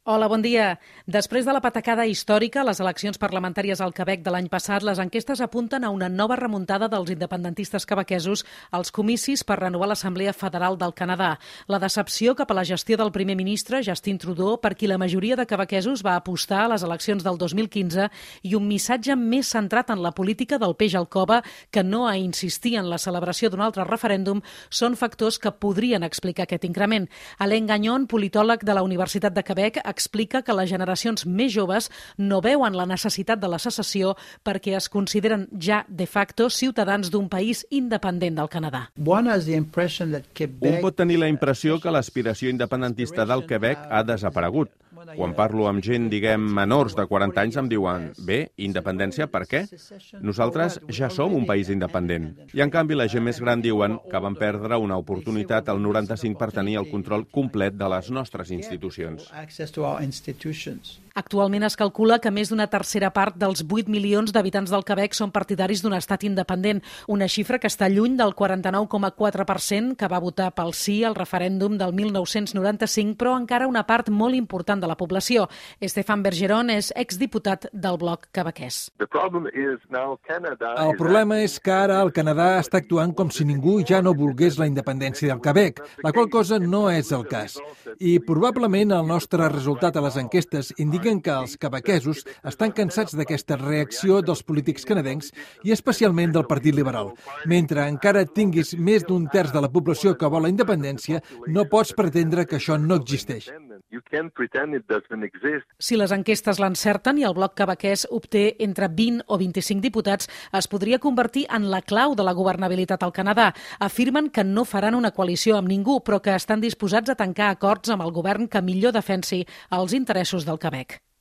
Hola, bon dia. Després de la patacada històrica a les eleccions parlamentàries al Quebec de l'any passat, les enquestes apunten a una nova remuntada dels independentistes quebequesos als comicis per renovar l'Assemblea Federal del Canadà. La decepció cap a la gestió del primer ministre, Justin Trudeau, per qui la majoria de quebequesos va apostar a les eleccions del 2015, i un missatge més centrat en la política del peix al cove, que no a insistir en la celebració d'un altre referèndum, són factors que podrien explicar aquest increment. Alain Gagnon, politòleg de la Universitat de Quebec, explica que les generacions més joves no veuen la necessitat de la secessió perquè es consideren ja de facto ciutadans d'un país independent del Canadà. Un pot tenir la impressió que l'aspiració independentista del Quebec ha desaparegut. Quan parlo amb gent, menors de 40 anys, em diuen, bé, independència per què? Nosaltres ja som un país independent. I en canvi la gent més gran diuen que van perdre una oportunitat al 95 per tenir el control complet de les nostres institucions. Actualment es calcula que més d'una tercera part dels 8 milions d'habitants del Quebec són partidaris d'un estat independent, una xifra que està lluny del 49,4% que va votar pel sí al referèndum del 1995, però encara una part molt important de la població. Stéphane Bergeron és exdiputat del Bloc quebequès. El problema és que ara el Canadà està actuant com si ningú ja no volgués la independència del Quebec, la qual cosa no és el cas. I probablement el nostre resultat a les enquestes indiquen que els quebequesos estan cansats d'aquesta reacció dels polítics canadencs i especialment del Partit Liberal. Mentre encara tinguis més d'un terç de la població que vol la independència, no pots pretendre que això no existeix. Si les enquestes l'encerten i el Bloc quebequès obté entre 20 o 25 diputats, es podria convertir en la clau de la governabilitat al Canadà. Afirmen que no faran una coalició amb ningú, però que estan disposats a tancar acords amb el govern que millor defensi els interessos del Quebec.